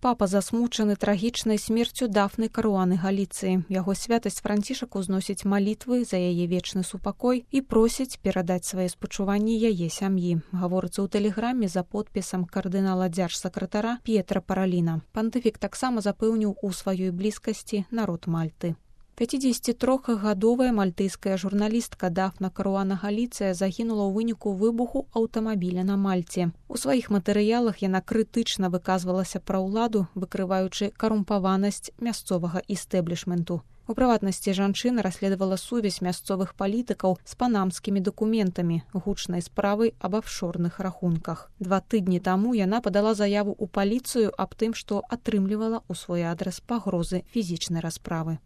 папа засмучаны трагічнай смерцю Дафны Каруаны Галіцыі. Яго святасць Францішак узносіць малітвы за яе вечны супакой і просіць перадаць свае спачуванні яе сям'і. Гаворыцца ў тэлеграме за подпісам кардынала дзяржсакратара П'етра Параліна. Пантыфік таксама запэўніў у сваёй блізкасці народ Мальты. 53-гадовая мальтыйская журналістка Дафна Каруана Галіцыя загінула ў выніку выбуху аўтамабіля на Мальце. У сваіх матэрыялах яна крытычна выказвалася пра ўладу, выкрываючы карумпаванасць мясцовага істэблішменту. У прыватнасці жанчына расследавала сувязь мясцовых палітыкаў з панамскімі дакументамі, гучнай справай аб афшорных рахунках. 2 тыдні таму яна падала заяву ў паліцыю аб тым, што атрымлівала ў свой адрас пагрозы фізічнай расправы.